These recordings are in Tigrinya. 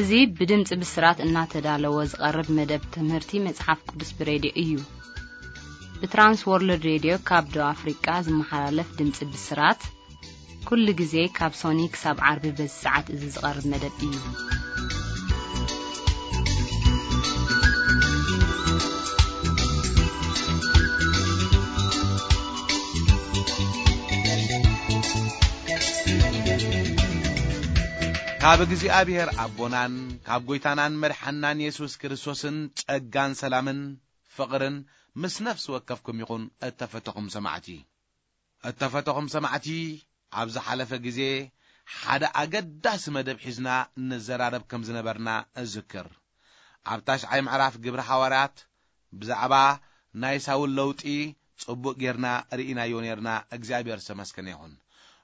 እዚ ብድምጺ ብስራት እናተዳለወ ዝቐርብ መደብ ትምህርቲ መጽሓፍ ቅዱስ ብሬድዮ እዩ። ብትራንስ ወርልድ ሬድዮ ካብ ደቡብ ኣፍሪቃ ዝመሓላለፍ ድምጺ ብስራት፣ ኩሉ ግዜ ካብ ሶኒ ክሳብ ዓርቢ በዚ ሰዓት እዚ ዝቐርብ መደብ እዩ። ካብ እግዚኣብሔር ኣቦናን ካብ ጐይታናን መድሓናን የሱስ ክርስቶስን ጸጋን ሰላምን ፍቕርን ምስ ነፍሲ ወከፍኩም ይኹን። እተፈተኹም ሰማዕቲ፣ እተፈተኹም ሰማዕቲ፣ ኣብ ዝሓለፈ ግዜ ሓደ ኣገዳሲ መደብ ሒዝና ንዘራረብ ከም ዝነበርና እዝክር። ኣብ ታሽዓይ ምዕራፍ ግብሪ ሃዋርያት ብዛዕባ ናይ ሳውል ለውጢ ጽቡቕ ጌርና ርኢናዮ ኔርና። እግዚኣብሔር ዝተመስገነ ይኹን።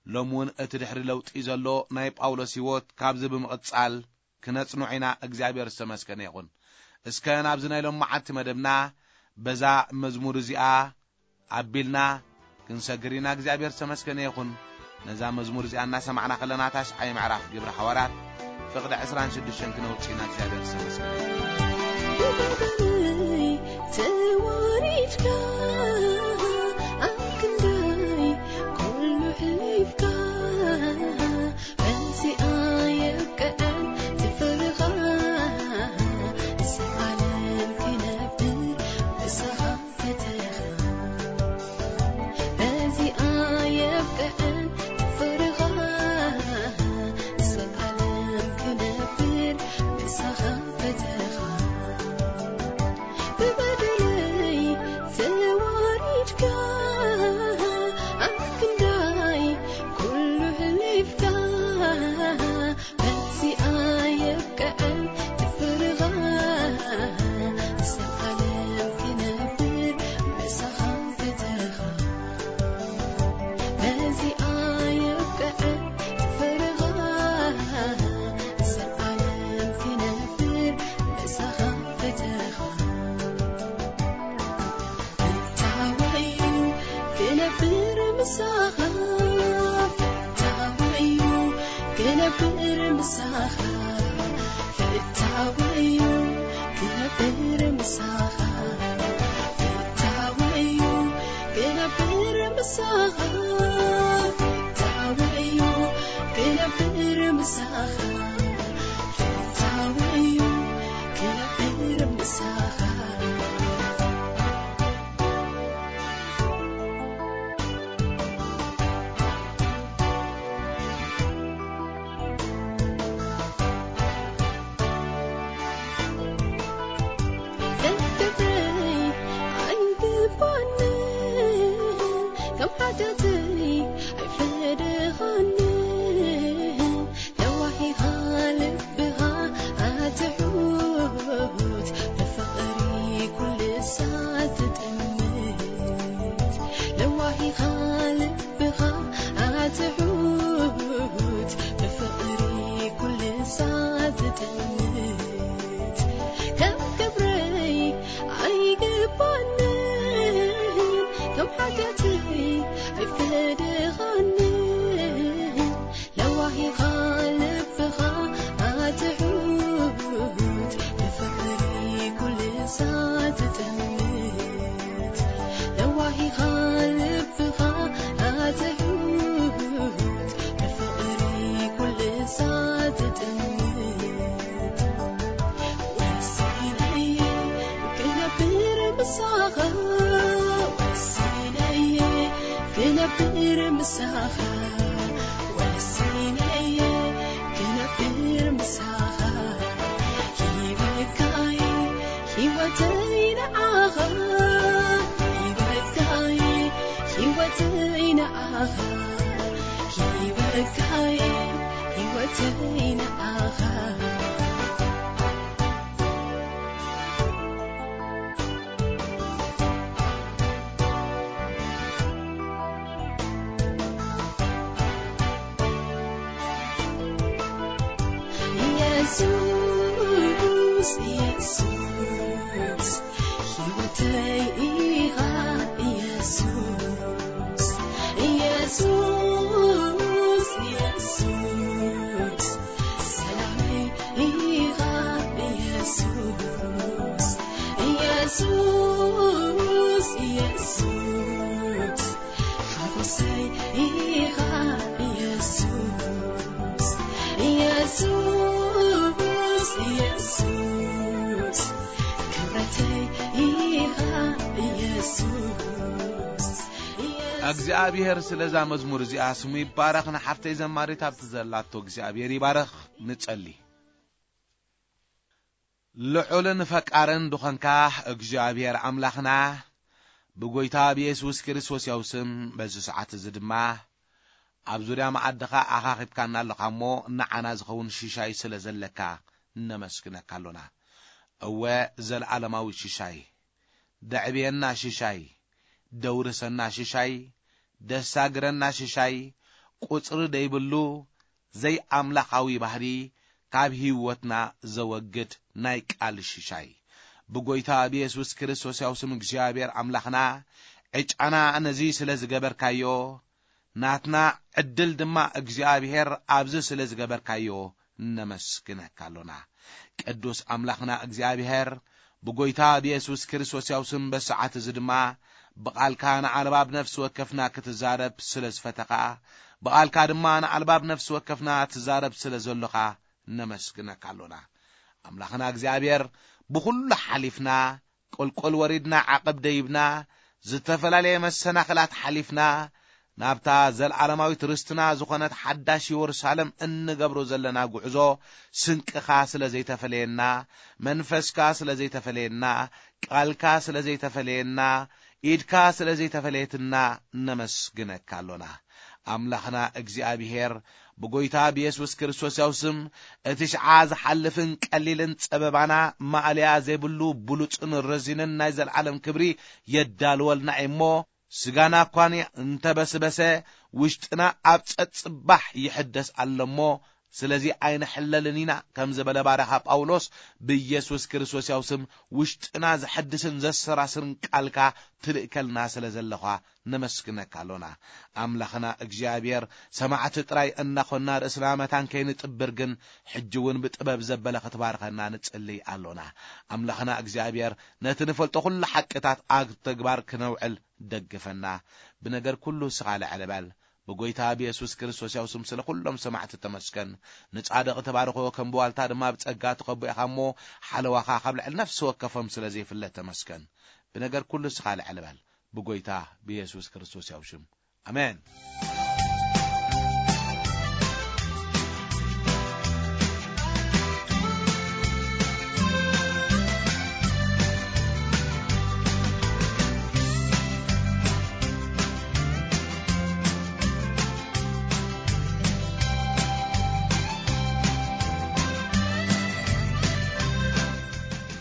ሎሚ እውን እቲ ድሕሪ ለውጢ ዘሎ ናይ ጳውሎስ ህይወት ካብዚ ብምቕጻል ክነጽንዖ ኢና። እግዚኣብሔር ዝተመስገነ ይኹን። እስከ ናብዚ ናይ ሎም መዓልቲ መደብና በዛ መዝሙር እዚኣ ኣቢልና ክንሰግር ኢና። እግዚኣብሔር ዝተመስገነ ይኹን። ነዛ መዝሙር እዚኣ እናሰማዕና ከለና ታሽዓይ ምዕራፍ ግብሪ ሓዋርያት ፍቕዲ ዕስራን ሽዱሽተን ክነውጽእ ኢና። እግዚኣብሔር ዝተመስገነ ይኹን። ተዋሪድካ ኣብ ክንደይ ኩሉ ሕሊፍካ በዚኣ የብቅዐን ትፍርኻ ንዘዓለም ክነብር ምሳኻ ፈተኻ በዚኣ የብቅዐን ትፍርኻ ንዘዓለም ክነብር ምሳኻ ፈተኻ ብበደለይ ተዋሪድካ ኣብ ክንዳይ ኩሉ ሕሊፍካ በዚኣ የብቅዐን ትፍርኻ ንዘዓለም ክነብር ምሳኻ ፈተኻ በዚኣ የብቅዐን ትፍርኻ ንዘዓለም ክነብር ምሳኻ ፈተኻ ፍታወዩ ክነብር ምሳኻ ፍታወዩ ክነብር ምሳኻ ፍታወዩ ክነብር ምሳኻ ፍታወዩ ክነብር ምሳኻ ፍታወዩ ክነብር ምሳኻ ፍታወዩ ክነብር ምሳኻ ኢየሱስ፣ ኢየሱስ፣ ሓጎሰይ ኢኻ ኢየሱስ፣ ኢየሱስ፣ ኢየሱስ፣ ክብረተይ ኢኻ ኢየሱስ፣ ኢየሱስ። እግዚኣብሔር ስለዛ መዝሙር እዚኣ ስሙ ይባረኽ። ንሓፍተይ ዘማሪት ኣብቲ ዘላቶ እግዚኣብሔር ይባረኽ። ንጸሊ። ልዑልን ፈቃርን ድኾንካ እግዚኣብሔር ኣምላኽና፣ ብጎይታ ብየሱስ ክርስቶስ ያው ስም በዚ ሰዓት እዚ ድማ ኣብ ዙርያ መኣድኻ ኣኻኺብካና ኣለኻ እሞ፣ ንዓና ዝኸውን ሽሻይ ስለ ዘለካ ነመስግነካ ኣሎና። እወ፣ ዘለዓለማዊ ሽሻይ፣ ደዕብየና ሽሻይ፣ ደውርሰና ሽሻይ፣ ደሳግረና ሽሻይ፣ ቁጽሪ ደይብሉ ዘይኣምላኻዊ ባህሪ ካብ ህይወትና ዘወግድ ናይ ቃል ሽሻይ፣ ብጎይታ ብየሱስ ክርስቶስ ያው ስም እግዚኣብሔር ኣምላኽና፣ ዕጫና ነዚ ስለ ዝገበርካዮ፣ ናትና ዕድል ድማ እግዚኣብሔር ኣብዚ ስለ ዝገበርካዮ ነመስግነካ ኣሎና። ቅዱስ ኣምላኽና እግዚኣብሔር፣ ብጎይታ ብየሱስ ክርስቶስ ያው ስም በሰዓት እዚ ድማ ብቓልካ ንኣልባብ ነፍሲ ወከፍና ክትዛረብ ስለ ዝፈተኻ፣ ብቓልካ ድማ ንኣልባብ ነፍሲ ወከፍና ትዛረብ ስለ ዘሎኻ ነመስግነካ ኣሎና። ኣምላኽና እግዚኣብሔር፣ ብኹሉ ሓሊፍና፣ ቁልቁል ወሪድና፣ ዓቐብ ደይብና፣ ዝተፈላለየ መሰናኽላት ሓሊፍና፣ ናብታ ዘለዓለማዊት ርስትና ዝኾነት ሓዳሽ የሩሳሌም እንገብሮ ዘለና ጉዕዞ፣ ስንቅኻ ስለ ዘይተፈለየና፣ መንፈስካ ስለ ዘይተፈለየና፣ ቃልካ ስለ ዘይተፈለየና፣ ኢድካ ስለ ዘይተፈለየትና ነመስግነካ ኣሎና። ኣምላኽና እግዚኣብሔር፣ ብጎይታ ብየሱስ ክርስቶስ ያው ስም፣ እቲ ሽዓ ዝሓልፍን ቀሊልን ጸበባና ማእለያ ዘይብሉ ብሉጽን ረዚንን ናይ ዘለዓለም ክብሪ የዳልወልና እዩ እሞ፣ ስጋና እኳ እንተበስበሰ፣ ውሽጥና ኣብ ጸጽባሕ ይሕደስ ኣሎ እሞ፣ ስለዚ ኣይንሕለልን ኢና፣ ከም ዝበለ ባርያኻ ጳውሎስ፣ ብየሱስ ክርስቶስ ያው ስም ውሽጥና ዘሐድስን ዘሰራስርን ቃልካ ትልእከልና ስለ ዘለኻ ነመስግነካ ኣሎና። ኣምላኽና እግዚኣብሔር፣ ሰማዕቲ ጥራይ እናኾንና ርእስና መታን ከይንጥብር ግን፣ ሕጂ እውን ብጥበብ ዘበለ ክትባርኸና ንጽልይ ኣሎና። ኣምላኽና እግዚኣብሔር፣ ነቲ ንፈልጦ ኩሉ ሓቅታት ኣብ ተግባር ክነውዕል ደግፈና። ብነገር ኩሉ ስኻ ልዕል በል። ብጎይታ ብየሱስ ክርስቶስ ያው ስም ስለ ኩሎም ሰማዕቲ ተመስገን። ንጻድቕ ተባርኾ፣ ከም ብዋልታ ድማ ብጸጋ ትኸቦ ኢኻ እሞ፣ ሓለዋኻ ካብ ልዕሊ ነፍሲ ወከፎም ስለ ዘይፍለ ተመስገን። ብነገር ኩሉ ስኻ ልዕል በል። ብጎይታ ብየሱስ ክርስቶስ ያው ሽም። ኣሜን።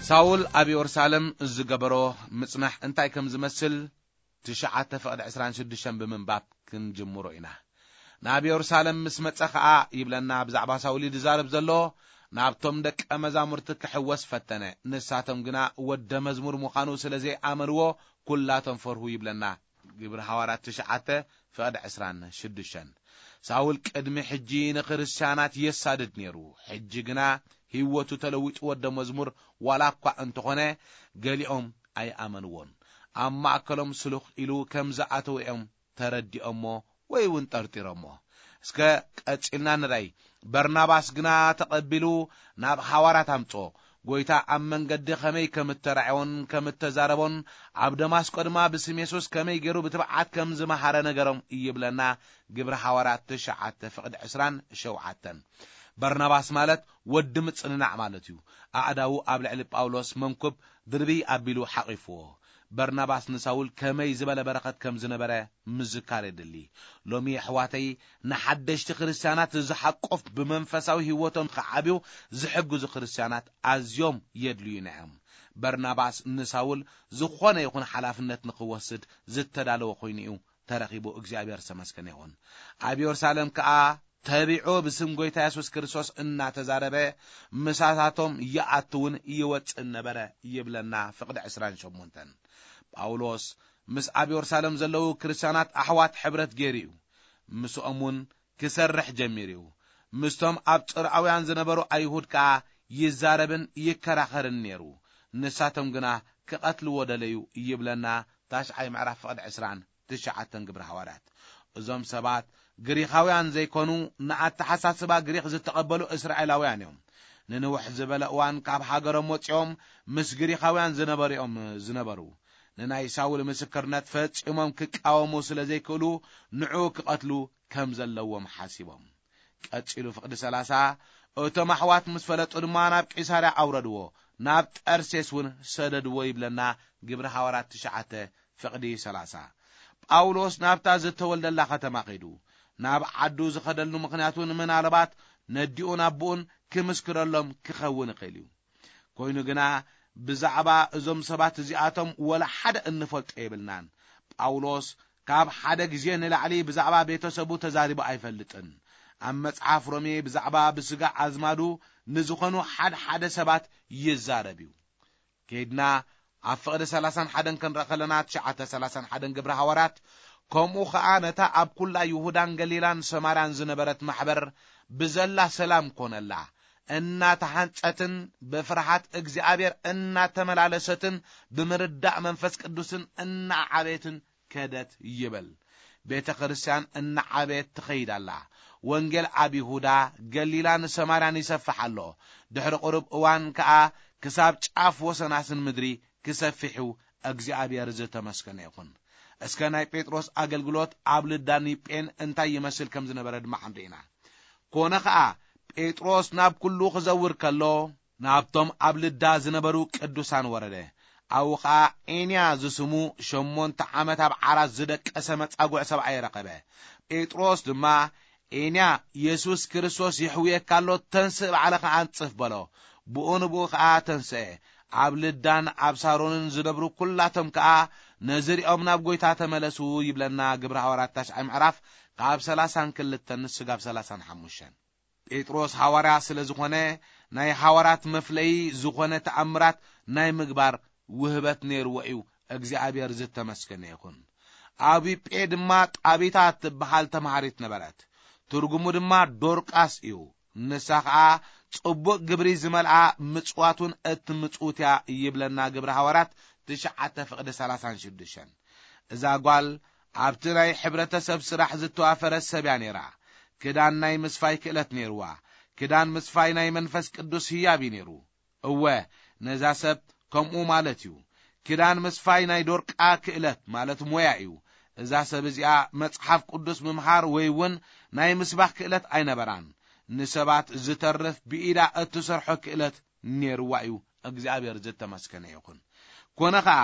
ሳውል ኣብ የሩሳሌም ዝገበሮ ምጽናሕ እንታይ ከም ዝመስል ትሽዓተ ፍቕዲ ዕስራን ሽዱሽተን ብምንባብ ክንጅምሮ ኢና። ናብ የሩሳሌም ምስ መጸ ኸኣ ይብለና ብዛዕባ ሳውል እዩ ዝዛረብ ዘሎ፣ ናብቶም ደቀ መዛሙርቲ ክሕወስ ፈተነ። ንሳቶም ግና ወደ መዝሙር ምዃኑ ስለ ዘይኣመንዎ፣ ኩላቶም ፈርሁ ይብለና ግብሪ ሃዋርያት ትሽዓተ ፍቕዲ ዕስራን ሽዱሽተን። ሳውል ቅድሚ ሕጂ ንክርስትያናት የሳድድ ነይሩ። ሕጂ ግና ህይወቱ ተለዊጡ ወደ መዝሙር ዋላ እኳ እንተኾነ፣ ገሊኦም ኣይኣመንዎን። ኣብ ማእከሎም ስሉኽ ኢሉ ከም ዝኣተወ እዮም ተረዲኦሞ ወይ እውን ጠርጢሮሞ። እስከ ቀጺልና ንርኣይ። በርናባስ ግና ተቐቢሉ ናብ ሃዋርያት ኣምጽኦ። ጐይታ ኣብ መንገዲ ኸመይ ከም እተራእዮን ከም እተዛረቦን፣ ኣብ ደማስቆ ድማ ብስም የሱስ ከመይ ገይሩ ብትብዓት ከም ዝመሃረ ነገሮም ይብለና ግብሪ ሃዋርያት ትሽዓተ ፍቕዲ ዕስራን ሸውዓተን። በርናባስ ማለት ወዲ ምጽንናዕ ማለት እዩ። ኣእዳዉ ኣብ ልዕሊ ጳውሎስ መንኩብ ድርብይ ኣቢሉ ሓቒፍዎ። በርናባስ ንሳውል ከመይ ዝበለ በረኸት ከም ዝነበረ ምዝካር የድሊ። ሎሚ ኣሕዋተይ፣ ንሓደሽቲ ክርስትያናት ዝሓቁፍ ብመንፈሳዊ ህይወቶም ክዓብዩ ዝሕግዙ ክርስትያናት ኣዝዮም የድልዩና እዮም። በርናባስ ንሳውል ዝኾነ ይኹን ሓላፍነት ንኽወስድ ዝተዳለወ ኮይኑ እዩ ተረኺቡ። እግዚኣብሔር ዝተመስገነ ይኹን። ኣብ የሩሳሌም ከኣ ተቢዑ ብስም ጐይታ የሱስ ክርስቶስ እናተዛረበ ምሳታቶም ይኣትውን ይወጽእን ነበረ ይብለና ፍቕዲ ዕስራን ሸሞንተን። ጳውሎስ ምስ ኣብ የሩሳሌም ዘለዉ ክርስትያናት ኣሕዋት ሕብረት ገይሩ እዩ። ምስኦም እውን ክሰርሕ ጀሚሩ እዩ። ምስቶም ኣብ ጽርኣውያን ዝነበሩ ኣይሁድ ከኣ ይዛረብን ይከራኸርን ነይሩ። ንሳቶም ግና ክቐትልዎ ደለዩ ይብለና ታሽዓይ ምዕራፍ ፍቕዲ ዕስራን ትሽዓተን ግብሪ ሃዋርያት። እዞም ሰባት ግሪኻውያን ዘይኮኑ፣ ንኣተሓሳስባ ግሪኽ ዝተቐበሉ እስራኤላውያን እዮም። ንንውሕ ዝበለ እዋን ካብ ሃገሮም ወጺኦም ምስ ግሪኻውያን ዝነበሩ እዮም ዝነበሩ። ንናይ ሳውል ምስክርነት ፈጺሞም ክቃወሙ ስለ ዘይክእሉ፣ ንዑ ክቐትሉ ከም ዘለዎም ሓሲቦም። ቀጺሉ ፍቕዲ ሰላሳ፣ እቶም ኣሕዋት ምስ ፈለጡ ድማ ናብ ቂሳርያ ኣውረድዎ፣ ናብ ጠርሴስ እውን ሰደድዎ ይብለና ግብሪ ሃዋርያት ትሽዓተ ፍቕዲ ሰላሳ። ጳውሎስ ናብታ ዝተወልደላ ከተማ ኸይዱ። ናብ ዓዱ ዝኸደሉ ምኽንያቱ ንምናልባት ነዲኡን ኣቦኡን ክምስክረሎም ክኸውን ይኽእል እዩ። ኮይኑ ግና ብዛዕባ እዞም ሰባት እዚኣቶም ወላ ሓደ እንፈልጦ የብልናን። ጳውሎስ ካብ ሓደ ግዜ ንላዕሊ ብዛዕባ ቤተሰቡ ተዛሪቡ ኣይፈልጥን። ኣብ መጽሓፍ ሮሜ ብዛዕባ ብስጋ ኣዝማዱ ንዝኾኑ ሓደ ሓደ ሰባት ይዛረብ እዩ። ከይድና ኣብ ፍቕዲ ሰላሳን ሓደን ክንረአ ከለና፣ ትሽዓተ ሰላሳን ሓደን ግብሪ ሃዋርያት፣ ከምኡ ኸኣ ነታ ኣብ ኩላ ይሁዳን ገሊላን ሰማርያን ዝነበረት ማሕበር ብዘላ ሰላም ኮነላ፣ እናተሃንጸትን ብፍርሃት እግዚኣብሔር እናተመላለሰትን ብምርዳእ መንፈስ ቅዱስን እናዓበየትን ከደት ይብል። ቤተ ክርስቲያን እናዓበየት ትኸይድ ኣላ። ወንጌል ኣብ ይሁዳ፣ ገሊላን ሰማርያን ይሰፍሕ ኣሎ። ድሕሪ ቁሩብ እዋን ከኣ ክሳብ ጫፍ ወሰናስን ምድሪ ክሰፍሕ እዩ። እግዚኣብሔር ዝተመስገነ ይኹን። እስከ ናይ ጴጥሮስ ኣገልግሎት ኣብ ልዳን ኒጴን እንታይ ይመስል ከም ዝነበረ ድማ ክንርኢ ኢና። ኮነ ኸኣ ጴጥሮስ ናብ ኩሉ ክዘውር ከሎ፣ ናብቶም ኣብ ልዳ ዝነበሩ ቅዱሳን ወረደ። ኣብኡ ኸኣ ኤንያ ዝስሙ ሸሞንተ ዓመት ኣብ ዓራት ዝደቀሰ መጻጉዕ ሰብኣይ ረኸበ። ጴጥሮስ ድማ፣ "ኤንያ፣ የሱስ ክርስቶስ የሕውየካ ኣሎ፣ ተንስእ፣ ባዕልኻ ኣንጽፍ" በሎ። ብኡ ንብኡ ኸኣ ተንስአ። ኣብ ልዳን ኣብ ሳሮንን ዝነብሩ ኩላቶም ከኣ ነዚ ሪኦም ናብ ጐይታ ተመለሱ ይብለና ግብሪ ሃዋርያት ታሽዓይ ምዕራፍ ካብ ሰላሳን ክልተን ስጋብ ሰላሳን ሓሙሽተን። ጴጥሮስ ሃዋርያ ስለ ዝኾነ፣ ናይ ሃዋርያት መፍለዪ ዝኾነ ተኣምራት ናይ ምግባር ውህበት ነይርዎ እዩ። እግዚኣብሔር ዝተመስገነ ይኹን። ኣብ ዮጴ ድማ ጣቢታ እትበሃል ተምሃሪት ነበረት። ትርጉሙ ድማ ዶርቃስ እዩ። ንሳ ኸኣ ጽቡቕ ግብሪ ዝመልኣ ምጽዋት እውን እትምጽውት እያ ይብለና ግብሪ ሃዋርያት ትሽዓተ ፍቕዲ ሰላሳን ሽዱሽተን። እዛ ጓል ኣብቲ ናይ ሕብረተሰብ ስራሕ ዝተዋፈረት ሰብ እያ ነይራ። ክዳን ናይ ምስፋይ ክእለት ነይርዋ። ክዳን ምስፋይ ናይ መንፈስ ቅዱስ ህያብ እዩ ነይሩ። እወ፣ ነዛ ሰብ ከምኡ ማለት እዩ። ክዳን ምስፋይ ናይ ዶርቃ ክእለት ማለት ሞያ እዩ። እዛ ሰብ እዚኣ መጽሓፍ ቅዱስ ምምሃር ወይ እውን ናይ ምስባኽ ክእለት ኣይነበራን። ንሰባት ዝተርፍ ብኢዳ እትሰርሖ ክእለት ነይርዋ እዩ። እግዚኣብሔር ዝተመስገነ ይኹን። ኮነ ኸኣ፣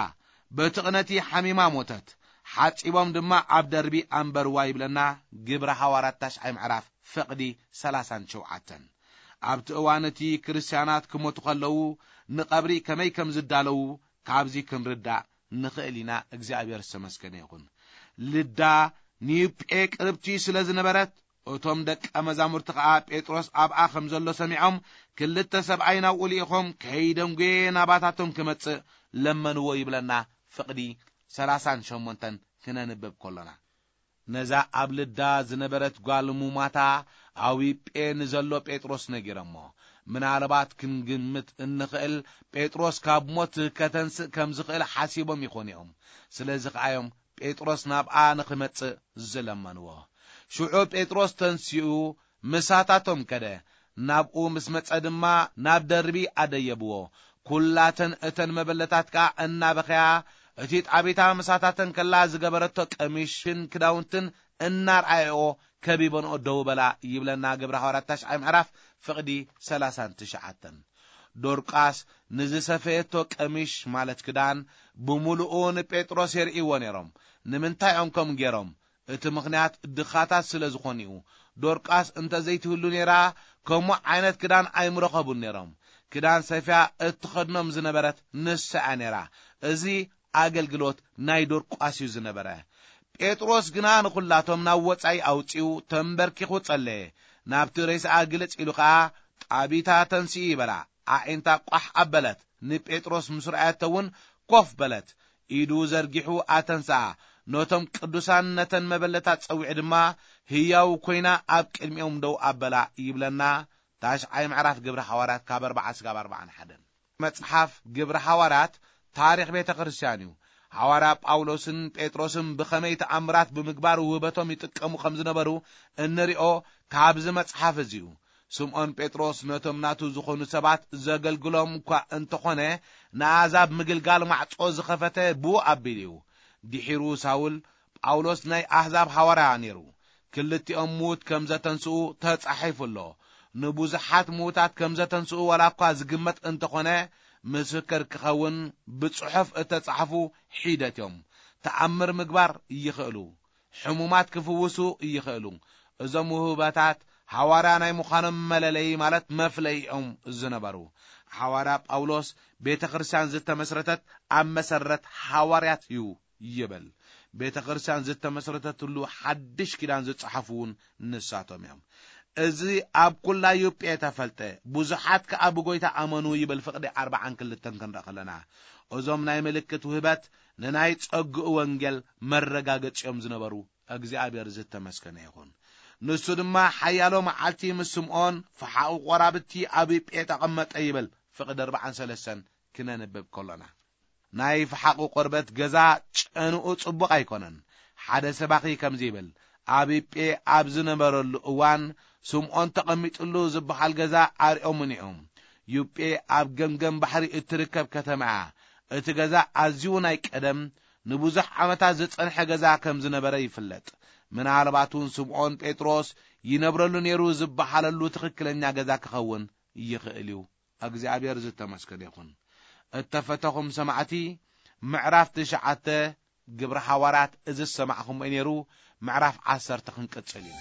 በቲ ቕነቲ ሓሚማ ሞተት። ሓጺቦም ድማ ኣብ ደርቢ ኣንበርዋ ይብለና ግብረ ሃዋርያት ታሽዓይ ምዕራፍ ፍቕዲ ሰላሳን ሸውዓተን። ኣብቲ እዋን እቲ ክርስትያናት ክሞቱ ከለዉ ንቐብሪ ከመይ ከም ዝዳለዉ ካብዚ ክንርዳእ ንኽእል ኢና። እግዚኣብሔር ዝተመስገነ ይኹን። ልዳ ንዩጴ ቅርብቲ ስለ ዝነበረት፣ እቶም ደቀ መዛሙርቲ ኸኣ ጴጥሮስ ኣብኣ ከም ዘሎ ሰሚዖም፣ ክልተ ሰብኣይ ናብኡ ልኢኾም፣ "ከይደንጉየ ናባታቶም ክመጽእ ለመንዎ" ይብለና ፍቕዲ ሰላሳን ሸሞንተን ክነንብብ ከሎና። ነዛ ኣብ ልዳ ዝነበረት ጓል ሙማታ ኣብ ዮጴ ንዘሎ ጴጥሮስ ነጊሮሞ። ምናልባት ክንግምት እንኽእል፣ ጴጥሮስ ካብ ሞት ከተንስእ ከም ዝኽእል ሓሲቦም ይኾኑ እዮም። ስለዚ ኸኣ እዮም ጴጥሮስ ናብኣ ንኽመጽእ ዝለመንዎ። ሽዑ ጴጥሮስ ተንሲኡ ምሳታቶም ከደ። ናብኡ ምስ መጸ ድማ ናብ ደርቢ ኣደየብዎ። ኩላተን እተን መበለታት ከኣ እናበኸያ፣ እቲ ጣቢታ ምሳታተን ከላ ዝገበረቶ ቀሚሽን ክዳውንትን እናርኣየኦ ከቢበንኦ ደው በላ ይብለና ግብረ ሃዋርያት ታሽዓይ ምዕራፍ ፍቕዲ ሰላሳን ትሽዓተን። ዶርቃስ ንዝሰፈየቶ ቀሚሽ ማለት ክዳን ብምሉኡ ንጴጥሮስ የርእይዎ ነይሮም። ንምንታይ እዮም ከምኡ ገይሮም? እቲ ምኽንያት ድኻታት ስለ ዝኾኑ እዩ። ዶርቃስ እንተ ዘይትህሉ ነይራ፣ ከምኡ ዓይነት ክዳን ኣይምረኸቡን ነይሮም። ክዳን ሰፍያ እትኸድኖም ዝነበረት ንሳ እያ ነይራ። እዚ ኣገልግሎት ናይ ዶርቃስ እዩ ዝነበረ። ጴጥሮስ ግና ንኹላቶም ናብ ወጻኢ ኣውጺኡ ተንበርኪኹ ጸለየ። ናብቲ ሬሳኣ ግልጽ ኢሉ ኸኣ፣ "ጣቢታ ተንስኢ" በላ። ኣዒንታ ቋሕ ኣበለት። ንጴጥሮስ ምስ ረኣየቶ እውን ኮፍ በለት። ኢዱ ዘርጊሑ ኣተንስኣ። ነቶም ቅዱሳን ነተን መበለታት ጸዊዑ ድማ ህያው ኮይና ኣብ ቅድሚኦም ደው ኣበላ ይብለና ታሽዓይ ምዕራፍ ግብሪ ሃዋርያት ካብ ኣርባዓ ስጋብ ኣርባዓን ሓደን። መጽሓፍ ግብሪ ሃዋርያት ታሪኽ ቤተ ክርስቲያን እዩ። ሃዋርያ ጳውሎስን ጴጥሮስን ብኸመይ ተኣምራት ብምግባር ውህበቶም ይጥቀሙ ከም ዝነበሩ እንሪኦ ካብዚ መጽሓፍ እዚ እዩ። ስምዖን ጴጥሮስ ነቶም ናቱ ዝኾኑ ሰባት ዘገልግሎም እኳ እንተኾነ፣ ንኣሕዛብ ምግልጋል ማዕጾ ዝኸፈተ ብኡ ኣቢሉ እዩ። ድሒሩ ሳውል ጳውሎስ ናይ ኣሕዛብ ሃዋርያ ነይሩ። ክልቲኦም ምዉት ከም ዘተንስኡ ተጻሒፉ ኣሎ። ንብዙሓት ምዉታት ከም ዘተንስኡ ዋላ እኳ ዝግመት እንተኾነ፣ ምስክር ክኸውን ብጽሑፍ እተጻሕፉ ሒደት እዮም። ተኣምር ምግባር ይኽእሉ። ሕሙማት ክፍውሱ ይኽእሉ። እዞም ውህበታት ሃዋርያ ናይ ምዃኖም መለለዪ ማለት መፍለይኦም ዝነበሩ። ሃዋርያ ጳውሎስ ቤተ ክርስቲያን ዝተመስረተት ኣብ መሰረት ሃዋርያት እዩ ይብል። ቤተ ክርስቲያን ዝተመስረተትሉ ሓድሽ ኪዳን ዝጸሓፉ እውን ንሳቶም እዮም። እዚ ኣብ ኩላ ዩጴ ተፈልጠ፣ ብዙሓት ከኣ ብጎይታ ኣመኑ ይብል ፍቕዲ ኣርባዓን ክልተን ክንርኢ ከለና። እዞም ናይ ምልክት ውህበት ንናይ ጸግኡ ወንጌል መረጋገጺኦም ዝነበሩ እግዚኣብሔር ዝተመስገነ ይኹን። ንሱ ድማ ሓያሎ መዓልቲ ምስ ስምዖን ፈሓቑ ቆራብቲ ኣብ ዩጴ ተቐመጠ ይብል ፍቕዲ ኣርባዓን ሰለስተን ክነንብብ ከሎና። ናይ ፈሓቑ ቆርበት ገዛ ጨንኡ ጽቡቕ ኣይኮነን። ሓደ ሰባኺ ከምዚ ይብል፣ ኣብ ዩጴ ኣብ ዝነበረሉ እዋን ስምዖን ተቐሚጥሉ ዝበሃል ገዛ ኣርኦምኒ እዮም። ዩጴ ኣብ ገምገም ባሕሪ እትርከብ ከተማ እያ። እቲ ገዛ ኣዝዩ ናይ ቀደም ንብዙሕ ዓመታት ዝጸንሐ ገዛ ከም ዝነበረ ይፍለጥ። ምናልባት እውን ስምዖን ጴጥሮስ ይነብረሉ ነይሩ ዝበሃለሉ ትኽክለኛ ገዛ ክኸውን ይኽእል እዩ። እግዚኣብሔር ዝተመስገነ ይኹን። እተፈተኹም ሰማዕቲ፣ ምዕራፍ ትሽዓተ ግብሪ ሃዋርያት እዚ ዝሰማዕኹምዎ ነይሩ። ምዕራፍ ዓሰርተ ክንቅጽል ኢና።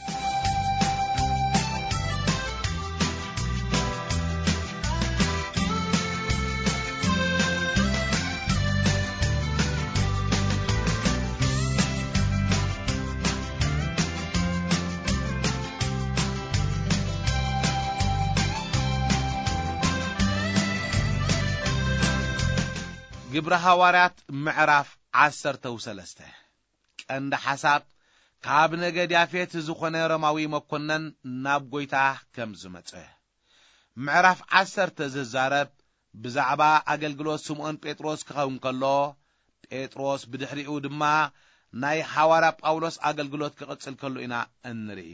ግብሪ ሃዋርያት ምዕራፍ ዓሰርተ ወሰለስተ። ቀንዲ ሓሳብ፣ ካብ ነገድ ያፌት ዝኾነ ሮማዊ መኮነን ናብ ጐይታ ከም ዝመጸ። ምዕራፍ ዓሰርተ ዝዛረብ ብዛዕባ ኣገልግሎት ስምዖን ጴጥሮስ ክኸውን ከሎ፣ ጴጥሮስ ብድሕሪኡ ድማ ናይ ሃዋርያ ጳውሎስ ኣገልግሎት ክቕጽል ከሎ ኢና እንርኢ።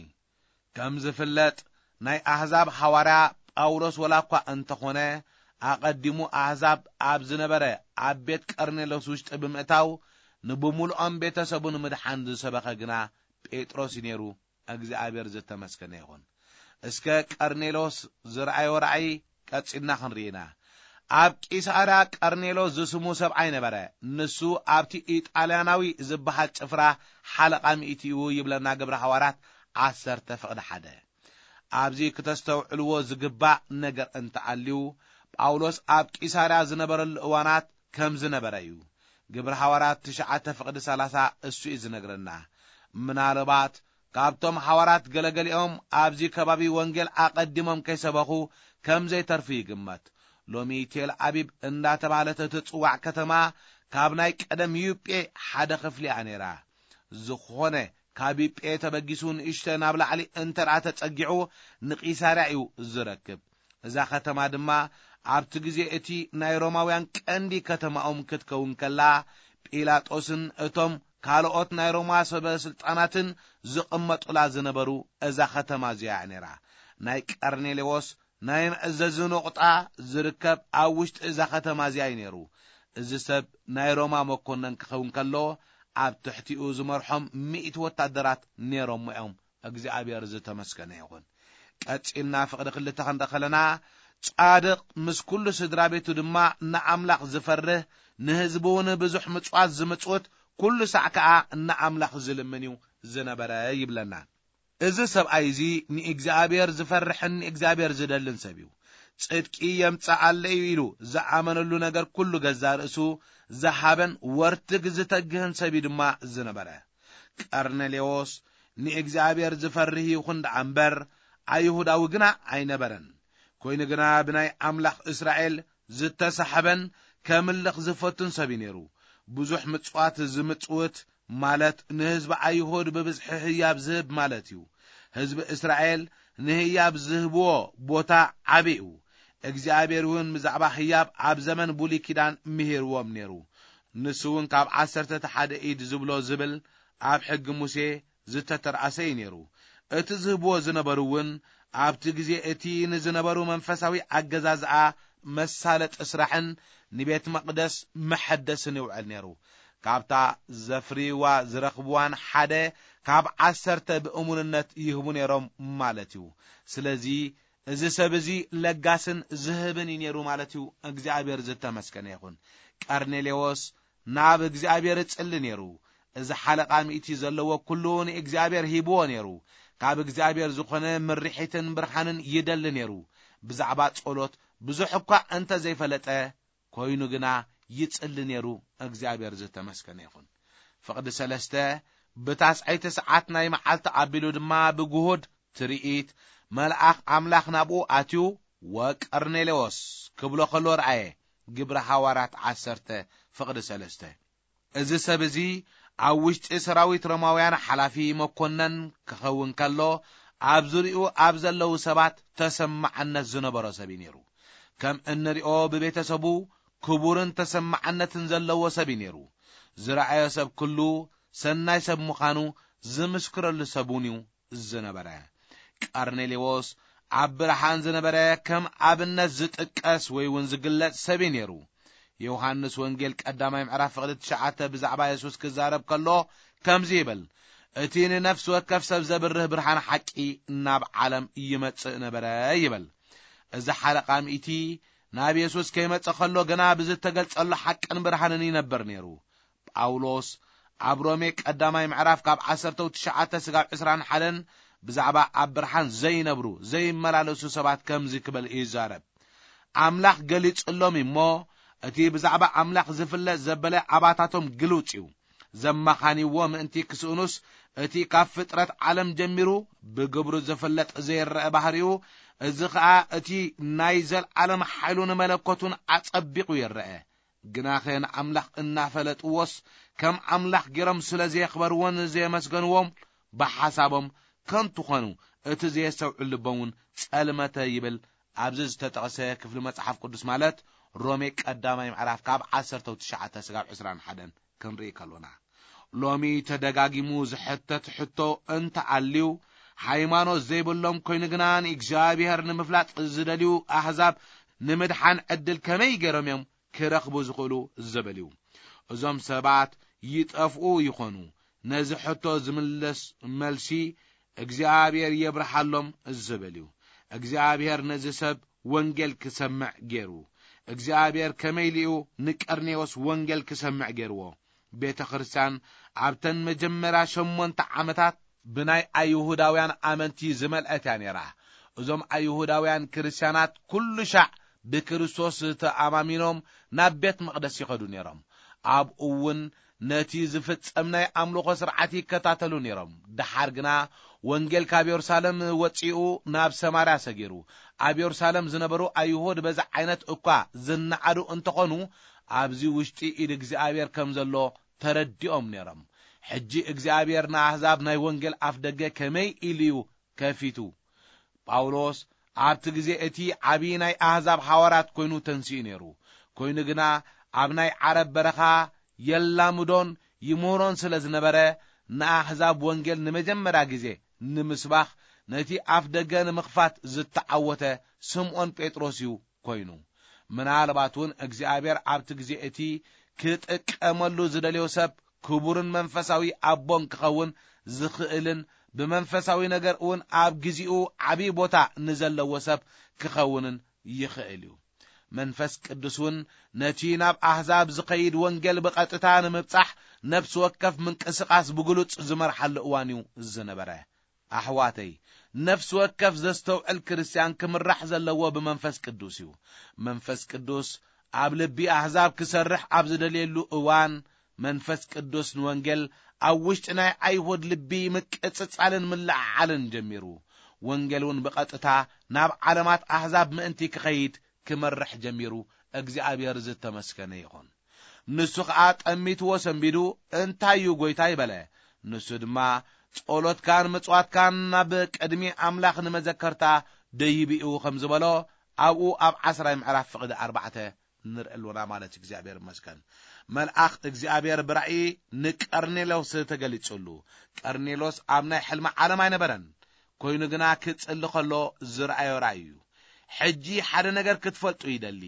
ከም ዝፍለጥ፣ ናይ ኣህዛብ ሃዋርያ ጳውሎስ ወላ እኳ እንተኾነ፣ ኣቐዲሙ ኣህዛብ ኣብ ዝነበረ ኣብ ቤት ቀርኔሎስ ውሽጢ ብምእታው፣ ንብምሉኦም ቤተሰቡ ንምድሓን ዝሰበኸ ግና ጴጥሮስ እዩ ነይሩ። እግዚኣብሔር ዝተመስገነ ይኹን። እስከ ቀርኔሎስ ዝረኣዮ ራእይ ቀጺልና ክንርኢ ኢና። ኣብ ቂሳርያ ቀርኔሎስ ዝስሙ ሰብኣይ ነበረ። ንሱ ኣብቲ ኢጣልያናዊ ዝበሃል ጭፍራ ሓለቓ ሚእቲ እዩ ይብለና ግብረ ሃዋርያት ዓሰርተ ፍቕዲ ሓደ። ኣብዚ ክተስተውዕልዎ ዝግባእ ነገር እንተኣልዩ፣ ጳውሎስ ኣብ ቂሳርያ ዝነበረሉ እዋናት ከም ዝነበረ እዩ። ግብረ ሃዋርያት ትሽዓተ ፍቕዲ ሰላሳ እሱ እዩ ዝነግረና። ምናልባት ካብቶም ሃዋርያት ገለገሊኦም ኣብዚ ከባቢ ወንጌል ኣቐዲሞም ከይሰበኹ ከም ዘይተርፉ ይግመት። ሎሚ ቴል ኣቢብ እንዳተባህለት እትጽዋዕ ከተማ ካብ ናይ ቀደም ዩጴ ሓደ ክፍሊ እያ ነይራ። ዝኾነ ካብ ዩጴ ተበጊሱ ንእሽተ ናብ ላዕሊ እንተ ደኣ ተጸጊዑ ንቂሳርያ እዩ ዝረክብ። እዛ ከተማ ድማ ኣብቲ ግዜ እቲ ናይ ሮማውያን ቀንዲ ከተማኦም ክትከውን ከላ፣ ጲላጦስን እቶም ካልኦት ናይ ሮማ ሰበ ስልጣናትን ዝቕመጡላ ዝነበሩ እዛ ከተማ እዚኣ እያ ነይራ። ናይ ቀርኔሌዎስ ናይ መእዘዚ ነቑጣ ዝርከብ ኣብ ውሽጢ እዛ ከተማ እዚኣ እዩ ነይሩ። እዚ ሰብ ናይ ሮማ መኮነን ክኸውን ከሎ፣ ኣብ ትሕቲኡ ዝመርሖም ሚእቲ ወታደራት ነይሮሞ እዮም። እግዚኣብሔር ዝተመስገነ ይኹን። ቀጺልና ፍቕዲ ክልተ ክንርኢ ከለና፣ ጻድቕ ምስ ኩሉ ስድራ ቤቱ ድማ ንኣምላኽ ዝፈርህ፣ ንህዝቡ እውን ብዙሕ ምጽዋት ዝምጽውት፣ ኩሉ ሳዕ ከኣ ንኣምላኽ ዝልምን እዩ ዝነበረ ይብለና። እዚ ሰብኣይ እዚ ንእግዚኣብሔር ዝፈርሕን ንእግዚኣብሔር ዝደልን ሰብ እዩ። ጽድቂ የምጽኣለይ እዩ ኢሉ ዝኣመነሉ ነገር ኩሉ ገዛእ ርእሱ ዝሃበን ወርትግ ዝተግህን ሰብ እዩ ድማ ዝነበረ። ቀርኔሌዎስ ንእግዚኣብሔር ዝፈርህ ይኹን ደኣ እምበር፣ ኣይሁዳዊ ግና ኣይነበረን። ኮይኑ ግና ብናይ ኣምላኽ እስራኤል ዝተሳሕበን ከምልኽ ዝፈቱን ሰብ እዩ ነይሩ። ብዙሕ ምጽዋት ዝምጽውት ማለት ንህዝቢ ኣይሁድ ብብዝሒ ህያብ ዝህብ ማለት እዩ። ህዝቢ እስራኤል ንህያብ ዝህብዎ ቦታ ዓቢ እዩ። እግዚኣብሔር እውን ብዛዕባ ህያብ ኣብ ዘመን ብሉይ ኪዳን ምሂርዎም ነይሩ። ንሱ እውን ካብ ዓሰርተ ሓደ ኢድ ዝብሎ ዝብል ኣብ ሕጊ ሙሴ ዝተተርኣሰ እዩ ነይሩ። እቲ ዝህብዎ ዝነበሩ እውን ኣብቲ ግዜ እቲ ንዝነበሩ መንፈሳዊ ኣገዛዝኣ መሳለጢ ስራሕን ንቤት መቕደስ መሐደስን ይውዕል ነይሩ። ካብታ ዘፍርይዋ ዝረኽብዋን ሓደ ካብ ዓሰርተ ብእሙንነት ይህቡ ነይሮም ማለት እዩ። ስለዚ እዚ ሰብ እዚ ለጋስን ዝህብን እዩ ነይሩ ማለት እዩ። እግዚኣብሔር ዝተመስገነ ይኹን። ቀርኔሌዎስ ናብ እግዚኣብሔር እጽሊ ነይሩ። እዚ ሓለቓ ሚእቲ ዘለዎ ኩሉ ንእግዚኣብሔር ሂብዎ ነይሩ። ካብ እግዚኣብሔር ዝኾነ ምርሒትን ብርሃንን ይደሊ ነይሩ። ብዛዕባ ጸሎት ብዙሕ እኳ እንተ ዘይፈለጠ፣ ኮይኑ ግና ይጽሊ ነይሩ። እግዚኣብሔር ዝተመስገነ ይኹን። ፍቕዲ ሰለስተ፣ ብታስዐይቲ ሰዓት ናይ መዓልቲ ኣቢሉ ድማ ብግሁድ ትርኢት መልኣኽ ኣምላኽ ናብኡ ኣትዩ፣ "ወቀርኔሌዎስ" ክብሎ ከሎ ረኣየ። ግብሪ ሃዋርያት ዓሰርተ ፍቕዲ ሰለስተ። እዚ ሰብ እዚ ኣብ ውሽጢ ሰራዊት ሮማውያን ሓላፊ መኮነን ክኸውን ከሎ፣ ኣብ ዙሪኡ ኣብ ዘለዉ ሰባት ተሰማዕነት ዝነበሮ ሰብ እዩ ነይሩ። ከም እንሪኦ ብቤተሰቡ ክቡርን ተሰማዕነትን ዘለዎ ሰብ እዩ ነይሩ። ዝረኣዮ ሰብ ኩሉ ሰናይ ሰብ ምዃኑ ዝምስክረሉ ሰብ እውን እዩ ዝነበረ። ቀርኔሌዎስ ኣብ ብርሃን ዝነበረ ከም ኣብነት ዝጥቀስ ወይ እውን ዝግለጽ ሰብ እዩ ነይሩ። ዮሃንስ ወንጌል ቀዳማይ ምዕራፍ ፍቕዲ ትሽዓተ ብዛዕባ የሱስ ክዛረብ ከሎ ከምዚ ይብል፣ "እቲ ንነፍሲ ወከፍ ሰብ ዘብርህ ብርሃን ሓቂ ናብ ዓለም ይመጽእ ነበረ" ይብል። እዚ ሓለቓ ሚእቲ ናብ የሱስ ከይመጸ ከሎ ግና ብዝተገልጸሉ ሓቅን ብርሃንን ይነብር ነይሩ። ጳውሎስ ኣብ ሮሜ ቀዳማይ ምዕራፍ ካብ ዓሰርተ ትሽዓተ ስጋብ ዕስራን ሓደን ብዛዕባ ኣብ ብርሃን ዘይነብሩ፣ ዘይመላለሱ ሰባት ከምዚ ክብል ይዛረብ፣ "ኣምላኽ ገሊጹሎም እሞ፣ እቲ ብዛዕባ ኣምላኽ ዝፍለጥ ዘበለ ኣባታቶም ግሉጽ እዩ። ዘመኻንይዎ ምእንቲ ክስእኑስ፣ እቲ ካብ ፍጥረት ዓለም ጀሚሩ ብግብሩ ዝፍለጥ ዘይረአ ባህሪኡ፣ እዚ ኸኣ እቲ ናይ ዘልዓለም ሓይሉን መለኮቱን ኣጸቢቑ ይረአ። ግናኸ ንኣምላኽ እናፈለጥዎስ፣ ከም ኣምላኽ ገይሮም ስለ ዘየኽበርዎን ዘየመስገንዎም፣ ብሓሳቦም ከንቱ ኾኑ፣ እቲ ዘየስተውዕል ልቦም እውን ጸልመተ" ይብል። ኣብዚ ዝተጠቕሰ ክፍሊ መጽሓፍ ቅዱስ ማለት ሮሜ ቀዳማይ ምዕራፍ ካብ ዓሰርተ ትሽዓተ ስጋብ ዕስራን ሓደን ክንርኢ ከሎና፣ ሎሚ ተደጋጊሙ ዝሕተት ሕቶ እንተኣልዩ፣ ሃይማኖት ዘይብሎም ኮይኑ ግና ንእግዚኣብሔር ንምፍላጥ ዝደልዩ ኣህዛብ ንምድሓን ዕድል ከመይ ገይሮም እዮም ክረኽቡ ዝኽእሉ ዝብል እዩ። እዞም ሰባት ይጠፍኡ ይኾኑ። ነዚ ሕቶ ዝምልስ መልሲ እግዚኣብሔር የብርሃሎም ዝብል እዩ። እግዚኣብሔር ነዚ ሰብ ወንጌል ክሰምዕ ገይሩ። እግዚኣብሔር ከመይ ኢሉ እዩ ንቀርኔዎስ ወንጌል ክሰምዕ ገይርዎ? ቤተ ክርስቲያን ኣብተን መጀመርያ ሸሞንተ ዓመታት ብናይ ኣይሁዳውያን ኣመንቲ ዝመልአት እያ ነይራ። እዞም ኣይሁዳውያን ክርስትያናት ኩሉ ሻዕ ብክርስቶስ ተኣማሚኖም ናብ ቤት መቕደስ ይኸዱ ነይሮም። ኣብኡ እውን ነቲ ዝፍጸም ናይ ኣምልኾ ስርዓት ይከታተሉ ነይሮም። ደሓር ግና ወንጌል ካብ የሩሳሌም ወጺኡ ናብ ሰማርያ ሰጊሩ። ኣብ የሩሳሌም ዝነበሩ ኣይሁድ በዚ ዓይነት እኳ ዝነዓዱ እንተኾኑ፣ ኣብዚ ውሽጢ ኢድ እግዚኣብሔር ከም ዘሎ ተረዲኦም ነይሮም። ሕጂ እግዚኣብሔር ንኣህዛብ ናይ ወንጌል ኣፍ ደገ ከመይ ኢሉ እዩ ከፊቱ? ጳውሎስ ኣብቲ ግዜ እቲ ዓቢ ናይ ኣህዛብ ሓዋርያት ኮይኑ ተንሲኡ ነይሩ። ኮይኑ ግና ኣብ ናይ ዓረብ በረኻ የላምዶን ይምህሮን ስለ ዝነበረ፣ ንኣህዛብ ወንጌል ንመጀመርያ ግዜ ንምስባኽ ነቲ ኣፍ ደገ ንምኽፋት ዝተዓወተ ስምዖን ጴጥሮስ እዩ ኮይኑ። ምናልባት እውን እግዚኣብሔር ኣብቲ ግዜ እቲ ክጥቀመሉ ዝደልዮ ሰብ ክቡርን መንፈሳዊ ኣቦን ክኸውን ዝኽእልን ብመንፈሳዊ ነገር እውን ኣብ ግዜኡ ዓቢ ቦታ ንዘለዎ ሰብ ክኸውንን ይኽእል እዩ። መንፈስ ቅዱስ እውን ነቲ ናብ ኣህዛብ ዝኸይድ ወንጌል ብቐጥታ ንምብጻሕ ነፍሲ ወከፍ ምንቅስቓስ ብግሉጽ ዝመርሓሉ እዋን እዩ ዝነበረ። ኣሕዋተይ፣ ነፍሲ ወከፍ ዘስተውዕል ክርስትያን ክምራሕ ዘለዎ ብመንፈስ ቅዱስ እዩ። መንፈስ ቅዱስ ኣብ ልቢ ኣህዛብ ክሰርሕ ኣብ ዝደልየሉ እዋን፣ መንፈስ ቅዱስ ንወንጌል ኣብ ውሽጢ ናይ ኣይሁድ ልቢ ምቅጽጻልን ምልዕዓልን ጀሚሩ። ወንጌል እውን ብቐጥታ ናብ ዓለማት ኣህዛብ ምእንቲ ክኸይድ ክመርሕ ጀሚሩ። እግዚኣብሔር ዝተመስገነ ይኹን። ንሱ ኸኣ ጠሚትዎ ሰንቢዱ፣ "እንታይ እዩ ጐይታይ?" በለ። ንሱ ድማ፣ "ጸሎትካን ምጽዋትካን ናብ ቅድሚ ኣምላኽ ንመዘከርታ ደይብኡ" ከም ዝበሎ፣ ኣብኡ ኣብ ዓስራይ ምዕራፍ ፍቕዲ ኣርባዕተ ንርኢ ኣሎና ማለት እዩ። እግዚኣብሔር ይመስገን። መልኣኽ እግዚኣብሔር ብራእይ ንቀርኔሎስ ተገሊጹሉ። ቀርኔሎስ ኣብ ናይ ሕልሚ ዓለም ኣይነበረን። ኮይኑ ግና ክጽሊ ከሎ ዝረኣዮ ራእይ እዩ። ሕጂ ሓደ ነገር ክትፈልጡ ይደሊ።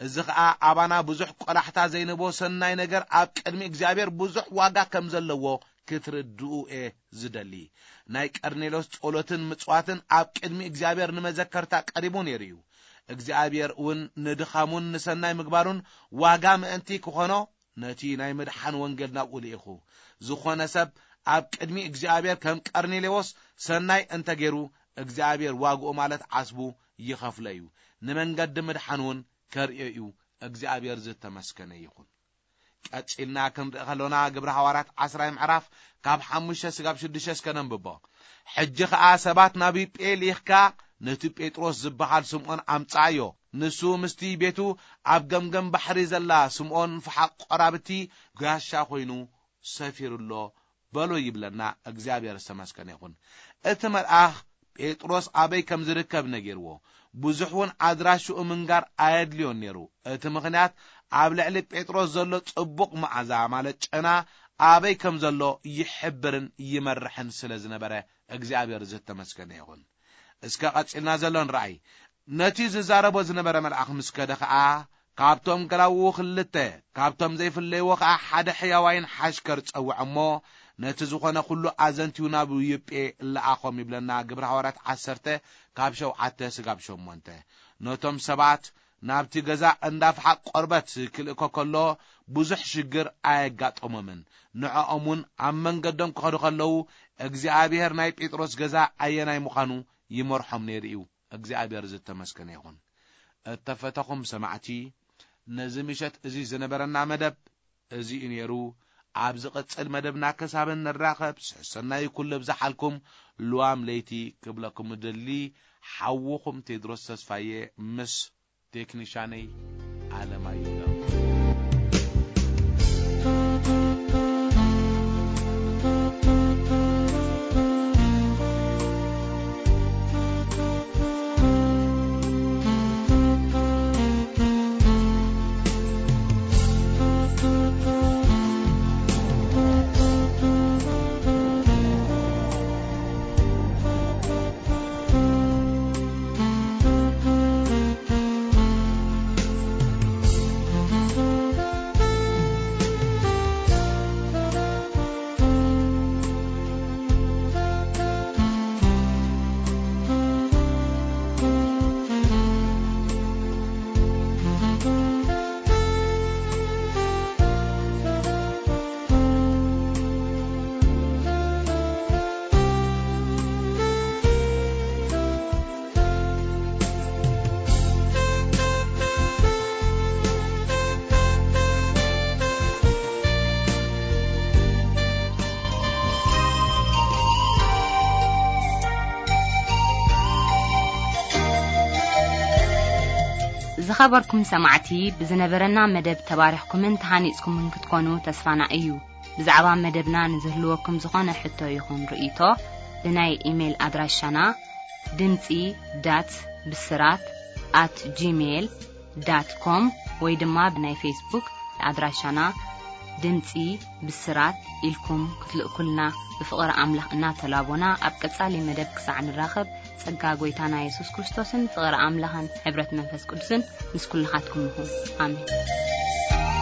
እዚ ኸኣ ኣባና ብዙሕ ቆላሕታ ዘይንቦ ሰናይ ነገር ኣብ ቅድሚ እግዚኣብሔር ብዙሕ ዋጋ ከም ዘለዎ ክትርድኡ እየ ዝደሊ። ናይ ቀርኔሎስ ጸሎትን ምጽዋትን ኣብ ቅድሚ እግዚኣብሔር ንመዘከርታ ቀሪቡ ነይሩ እዩ። እግዚኣብሔር እውን ንድኻሙን ንሰናይ ምግባሩን ዋጋ ምእንቲ ክኾኖ ነቲ ናይ ምድሓን ወንጌል ናብኡ ልኢኹ። ዝኾነ ሰብ ኣብ ቅድሚ እግዚኣብሔር ከም ቀርኔሌዎስ ሰናይ እንተገይሩ፣ እግዚኣብሔር ዋግኡ ማለት ዓስቡ ይኸፍሎ እዩ። ንመንገዲ ምድሓን እውን ከርእዮ እዩ። እግዚኣብሔር ዝተመስገነ ይኹን። ቀጺልና ክንርኢ ከሎና ግብረ ሃዋርያት ዓስራይ ምዕራፍ ካብ ሓሙሽተ ስጋብ ሽዱሽተ እስከ ነንብቦ። ሕጂ ኸኣ ሰባት ናብ ዮጴ ልኢኽካ ነቲ ጴጥሮስ ዝበሃል ስምዖን ኣምጽኣዮ። ንሱ ምስቲ ቤቱ ኣብ ገምገም ባሕሪ ዘላ ስምዖን ፈሓቕ ቆራብቲ ጋሻ ኮይኑ ሰፊሩ ኣሎ በሎ ይብለና። እግዚኣብሔር ዝተመስገነ ይኹን። እቲ መልኣኽ ጴጥሮስ ኣበይ ከም ዝርከብ ነጊርዎ። ብዙሕ እውን ኣድራሽኡ ምንጋር ኣየድልዮን ነይሩ። እቲ ምኽንያት ኣብ ልዕሊ ጴጥሮስ ዘሎ ጽቡቕ መዓዛ ማለት ጨና ኣበይ ከም ዘሎ ይሕብርን ይመርሕን ስለ ዝነበረ እግዚኣብሔር ዝተመስገነ ይኹን። እስከ ቀጺልና ዘሎ ንረኣይ። ነቲ ዝዛረቦ ዝነበረ መልኣኽ ምስ ከደ ኸኣ ካብቶም ገላውኡ ክልተ፣ ካብቶም ዘይፍለይዎ ኸኣ ሓደ ሕያዋይን ሓሽከር ጸውዐ እሞ ነቲ ዝኾነ ኩሉ ኣዘንትዩ ናብ ዮጴ ለኣኾም ይብለና። ግብረ ሃዋርያት ዓሰርተ ካብ ሸውዓተ ስጋብ ሸሞንተ። ነቶም ሰባት ናብቲ ገዛ እንዳ ፍሓቕ ቆርበት ክልእኮ ከሎ ብዙሕ ሽግር ኣየጋጠሞምን። ንዕኦም እውን ኣብ መንገዶም ክኸዱ ከለዉ እግዚኣብሔር ናይ ጴጥሮስ ገዛ ኣየናይ ምዃኑ ይመርሖም ነይሩ እዩ። እግዚኣብሔር ዝተመስገነ ይኹን። እተፈተኹም ሰማዕቲ፣ ነዚ ምሸት እዚ ዝነበረና መደብ እዚ እዩ ነይሩ። ኣብ ዝቕጽል መደብና ክሳብ እንራኸብ፣ ሰናይ ኩሉ ብዝሓልኩም ልዋም ለይቲ ክብለኩም እደሊ። ሓውኹም ቴድሮስ ተስፋዬ ምስ ቴክኒሻነይ ኣለማየሁ ዳዊት። ዝኸበርኩም ሰማዕቲ፣ ብዝነበረና መደብ ተባሪኽኩምን ተሃኒጽኩምን ክትኮኑ ተስፋና እዩ። ብዛዕባ መደብና ንዝህልወኩም ዝኾነ ሕቶ ይኹን ርእይቶ፣ ብናይ ኢሜይል ኣድራሻና ድምጺ ዳት ብስራት ኣት ጂሜይል ዳት ኮም ወይ ድማ ብናይ ፌስቡክ ኣድራሻና ድምጺ ብስራት ኢልኩም ክትልእኩልና ብፍቕሪ ኣምላኽ እናተላቦና፣ ኣብ ቀጻሊ መደብ ክሳዕ ንራኸብ፣ ጸጋ ጐይታና የሱስ ክርስቶስን ፍቕሪ ኣምላኽን ሕብረት መንፈስ ቅዱስን ምስ ኩልኻትኩም ይኹን። ኣሜን።